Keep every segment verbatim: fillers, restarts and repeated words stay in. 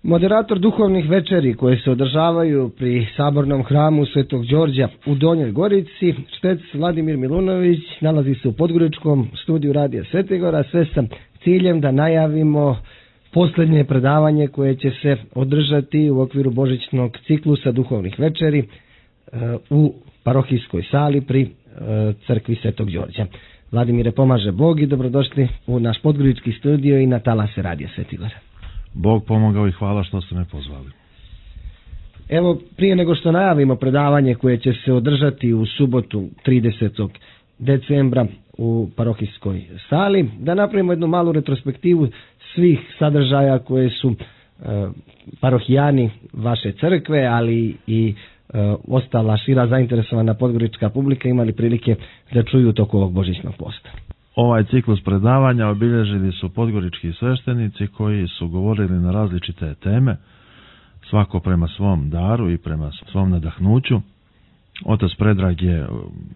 Moderator duhovnih večeri koje se održavaju pri Sabornom hramu Svetog Đorđa u Donjoj Gorici, štec Vladimir Milunović nalazi se u Podgoričkom studiju Radija Svetigora, sve sa ciljem da najavimo posljednje predavanje koje će se održati u okviru božićnog ciklusa duhovnih večeri u parohijskoj sali pri crkvi Svetog Đorđa. Vladimire, pomaže Bog i dobrodošli u naš Podgorički studio i na talase Radija Svetigora. Bog pomogao i hvala što ste me pozvali. Evo, prije nego što najavimo predavanje koje će se održati u subotu tridesetog decembra u parohijskoj sali, da napravimo jednu malu retrospektivu svih sadržaja koje su e, parohijani vaše crkve, ali i e, ostala šira zainteresovana podgorička publika imali prilike da čuju u toku ovog božićnog posta. Ovaj ciklus predavanja obilježili su podgorički sveštenici koji su govorili na različite teme, svako prema svom daru i prema svom nadahnuću. Otac Predrag je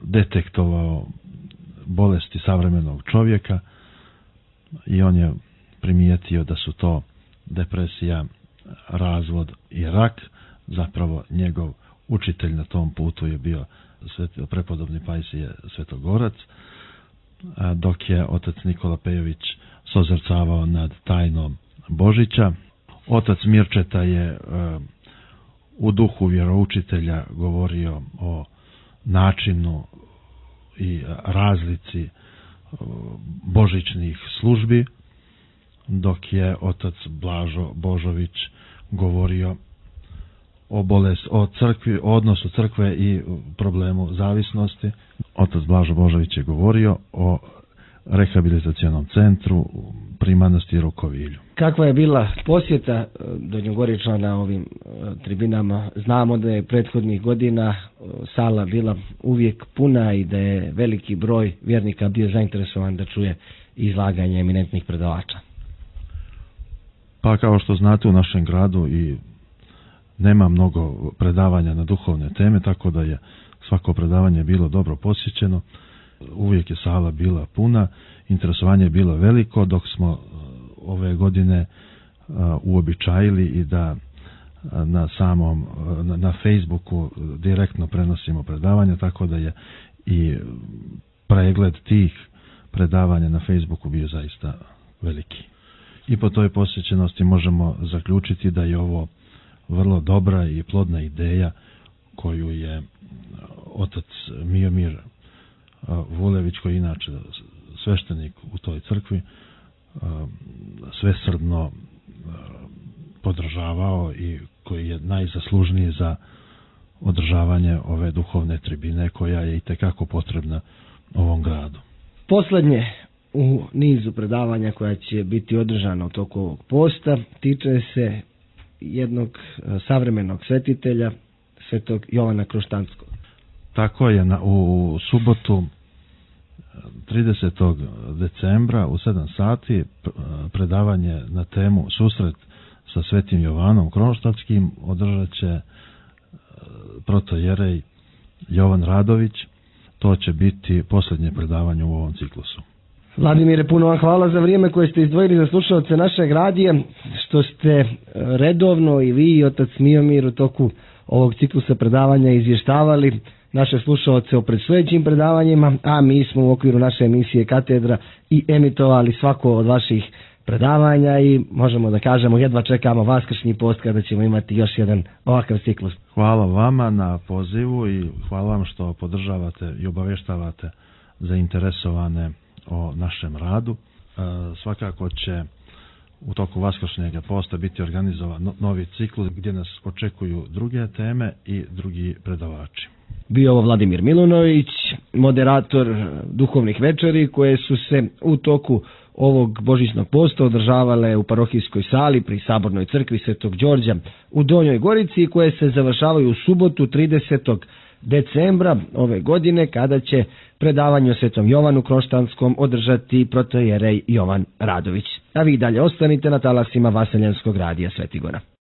detektovao bolesti savremenog čovjeka i on je primijetio da su to depresija, razvod i rak. Zapravo njegov učitelj na tom putu je bio prepodobni Pajsije Svetogorac, dok je otac Nikola Pejović sozrcavao nad tajnom Božića. Otac Mirčeta je u duhu vjeroučitelja govorio o načinu i razlici božićnih službi, dok je otac Blažo Božović govorio o bolest, o crkvi, o odnosu crkve i problemu zavisnosti. Otac Blažo Božović je govorio o rehabilitacionom centru pri manastiru Kovilju. Kakva je bila posjeta Donjogoričana na ovim tribinama? Znamo da je prethodnih godina sala bila uvijek puna i da je veliki broj vjernika bio zainteresovan da čuje izlaganje eminentnih predavača. Pa kao što znate, u našem gradu i nema mnogo predavanja na duhovne teme, tako da je svako predavanje bilo dobro posjećeno. Uvijek je sala bila puna, interesovanje je bilo veliko, dok smo ove godine uobičajili i da na samom na, na Facebooku direktno prenosimo predavanja, tako da je i pregled tih predavanja na Facebooku bio zaista veliki. I po toj posjećenosti možemo zaključiti da je ovo vrlo dobra i plodna ideja koju je otac Miomir Vulević, koji je inače sveštenik u toj crkvi, svesrdno podržavao i koji je najzaslužniji za održavanje ove duhovne tribine koja je itekako potrebna ovom gradu. Posljednje u nizu predavanja koja će biti održana u toku ovog posta tiče se jednog savremenog svetitelja, svetog Jovana Kroštanskog. Tako je, na, u subotu tridesetog decembra u sedam sati predavanje na temu Susret sa svetim Jovanom Kronštatskim održat će protojerej Jovan Radović. To će biti posljednje predavanje u ovom ciklusu. Vladimire, puno vam hvala za vrijeme koje ste izdvojili za slušalce našeg radija, što ste redovno i vi i otac Miomir u toku ovog ciklusa predavanja izvještavali naše slušalce o predstojećim predavanjima, a mi smo u okviru naše emisije Katedra i emitovali svako od vaših predavanja i možemo da kažemo jedva čekamo vaskršnji post kada ćemo imati još jedan ovakav ciklus. Hvala vama na pozivu i hvala vam što podržavate i obavještavate zainteresovane o našem radu. E, svakako će u toku vaskršnjeg posta biti organizovan novi ciklus gdje nas očekuju druge teme i drugi predavači. Bio ovo Vladimir Milunović, moderator duhovnih večeri koje su se u toku ovog božićnog posta održavale u parohijskoj sali pri Sabornoj crkvi Svetog Đorđa u Donjoj Gorici, koje se završavaju u subotu tridesetog decembra ove godine, kada će predavanje o svetom Jovanu Kronštanskom održati protojerej Jovan Radović. A vi dalje ostanite na talasima Vaseljenskog radija Svetigora.